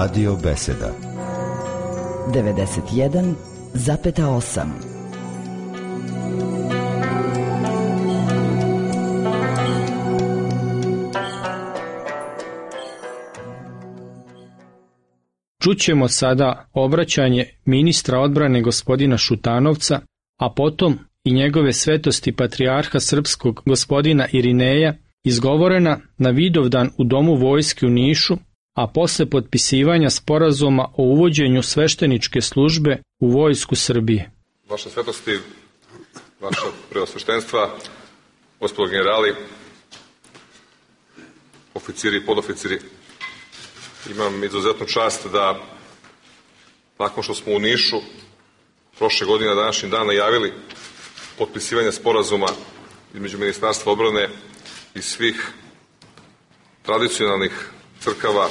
Radio Beseda 91,8. Čućemo sada obraćanje ministra odbrane gospodina Šutanovca, a potom i njegove svetosti patrijarha srpskog gospodina Irineja, izgovorena na Vidovdan u Domu vojske u Nišu, a posle potpisivanja sporazuma o uvođenju svešteničke službe u vojsku Srbije. Vaša svetosti, vaša preosveštenstva, gospodo generali, oficiri i podoficiri, imam izuzetnu čast da, nakon što smo u Nišu prošle godine na današnji dan najavili potpisivanje sporazuma između Ministarstva odbrane i svih tradicionalnih crkava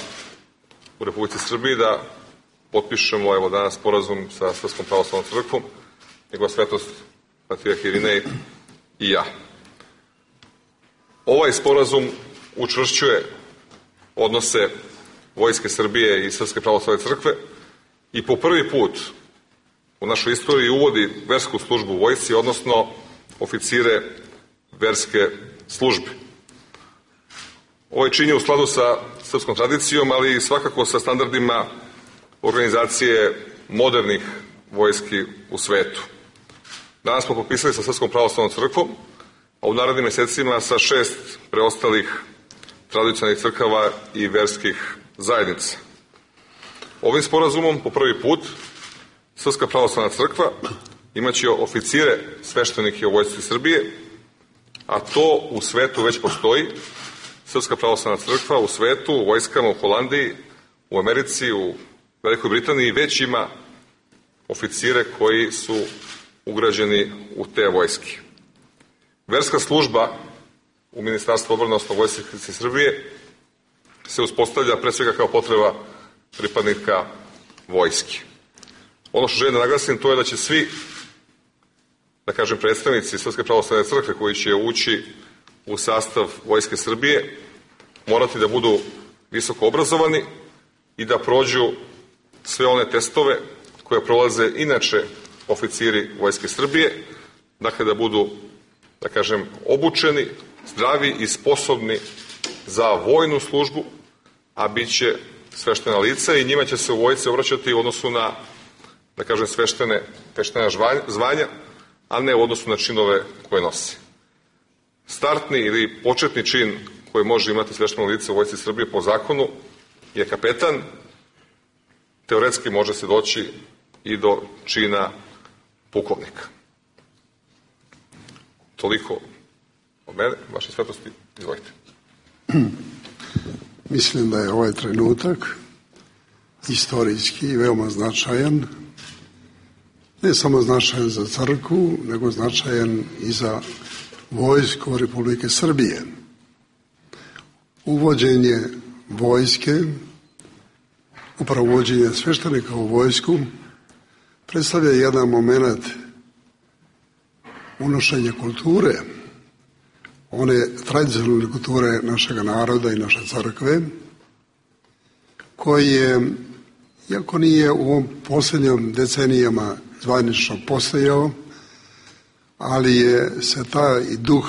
u Republici Srbiji, da potpišemo evo danas sporazum sa Srpskom pravoslavnom crkvom, njegova svetost patrijarh Irinej i ja. Ovaj sporazum učvršćuje odnose Vojske Srbije i Srpske pravoslavne crkve i po prvi put u našoj istoriji uvodi versku službu u vojsci, odnosno oficire verske službe. Ovo je čini u skladu sa srpskom tradicijom, ali i svakako sa standardima organizacije modernih vojski u svetu. Danas smo potpisali sa Srpskom pravoslavnom crkvom, a u narednim mesecima sa 6 preostalih tradicionalnih crkava i verskih zajednica. Ovim sporazumom po prvi put Srpska pravoslavna crkva imaće oficire sveštenike u vojsci Srbije, a to u svetu već postoji. Srpska pravoslavna crkva u svetu, u vojskama u Holandiji, u Americi, u Velikoj Britaniji već ima oficire koji su ugrađeni u te vojske. Verska služba u Ministarstvu odbrane, odnosno Vojske Srbije, se uspostavlja pre svega kao potreba pripadnika vojske. Ono što želim da naglasim, to je da će svi, da kažem, predstavnici Srpske pravoslavne crkve koji će ući u sastav Vojske Srbije morati da budu visoko obrazovani i da prođu sve one testove koje prolaze inače oficiri Vojske Srbije, dakle da budu, da kažem, obučeni, zdravi i sposobni za vojnu službu, a bit će sveštena lica i njima će se u vojsci obraćati u odnosu na, da kažem, sveštena zvanja, a ne u odnosu na činove koje nosi. Startni ili početni čin koji može imati svešteno lice u vojsci Srbije po zakonu je kapetan. Teoretski može se doći i do čina pukovnika. Toliko od mene, vaše svetosti, izvolite. Mislim da je ovaj trenutak istorijski i veoma značajan, ne samo značajan za crkvu, nego značajan i za vojsku Republike Srbije. Uvođenje vojske, upravo uvođenje sveštenika u vojsku, predstavlja jedan moment unošenja kulture, one tradicionalne kulture našega naroda i naše crkve, koji je, iako nije u ovom posljednjim decenijama zvanično postojao, ali je se taj duh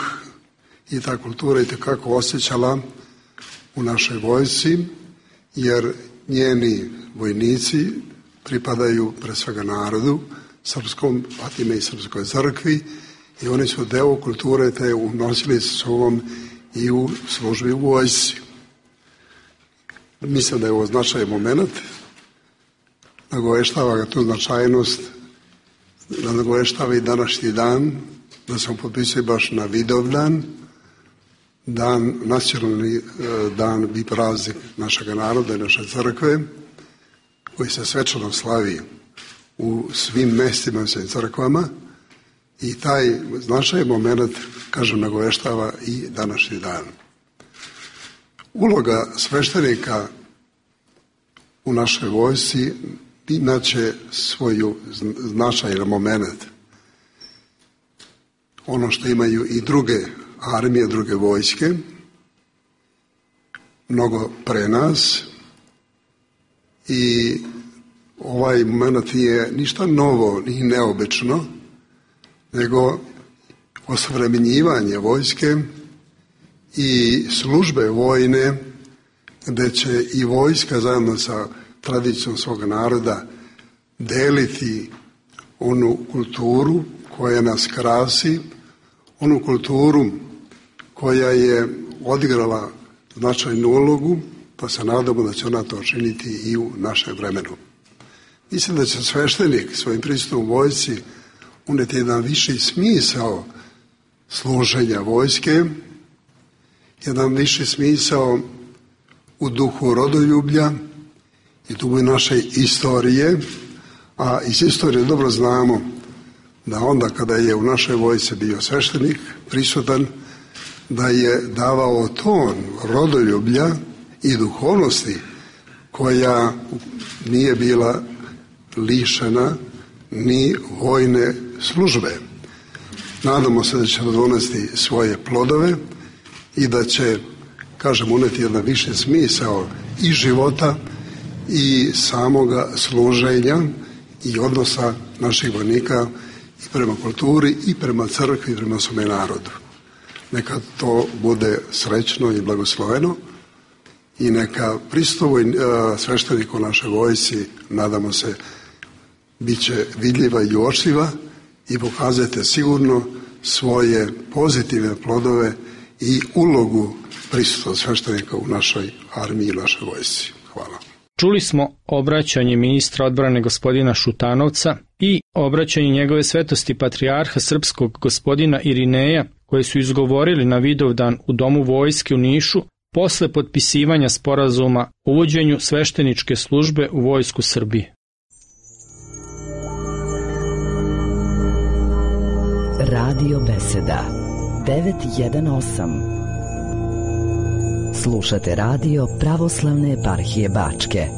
i ta kultura itekako osjećala u našoj vojsci, jer njeni vojnici pripadaju pre svega narodu, srpskom, pa time i srpskoj crkvi, i oni su deo kulture te unosili sa sobom i u službi u vojsci. Mislim da je ovo značajan moment, nagoveštava ga tu značajnost, nagoveštava i današnji dan, da smo potpisali baš na Vidovdan, dan, nacionalni dan i praznik našega naroda i naše crkve, koji se svečano slavi u svim mestima i svim crkvama, i taj značajan moment, kažem, nagoveštava i današnji dan. Uloga sveštenika u našoj vojsci inače svoju značajan moment. Ono što imaju i druge armije, druge vojske, mnogo pre nas, i ovaj moment nije ništa novo ni neobično, nego osavremenjivanje vojske i službe vojne, gde će i vojska zajedno sa tradicijom svog naroda deliti onu kulturu koja nas krasi, onu kulturu koja je odigrala značajnu ulogu, pa se nadamo da će ona to činiti i u našem vremenu. Mislim da će sveštenik svojim prisustvom u vojsci uneti jedan viši smisao služenja vojske, jedan viši smisao u duhu rodoljublja i duhu naše istorije, a iz istorije dobro znamo da onda kada je u našoj vojsci bio sveštenik prisutan, da je davao ton rodoljublja i duhovnosti koja nije bila lišena ni vojne službe. Nadamo se da će donesti svoje plodove i da će, kažem, uneti jedan više smisao i života i samoga služenja i odnosa naših vojnika i prema kulturi i prema crkvi i prema svome narodu. Neka to bude srećno i blagosloveno i neka pristup svešteniku našoj vojsci, nadamo se, bit će vidljiva i uočljiva i pokazujete sigurno svoje pozitivne plodove i ulogu prisustva sveštenika u našoj armiji i našoj vojsci. Hvala. Čuli smo obraćanje ministra odbrane gospodina Šutanovca i obraćanje njegove svetosti patrijarha srpskog gospodina Irineja, koje su izgovorili na Vidovdan u Domu vojske u Nišu posle potpisivanja sporazuma o uvođenju svešteničke službe u vojsku Srbije. Radio Beseda 918. Slušate radio Pravoslavne eparhije Bačke.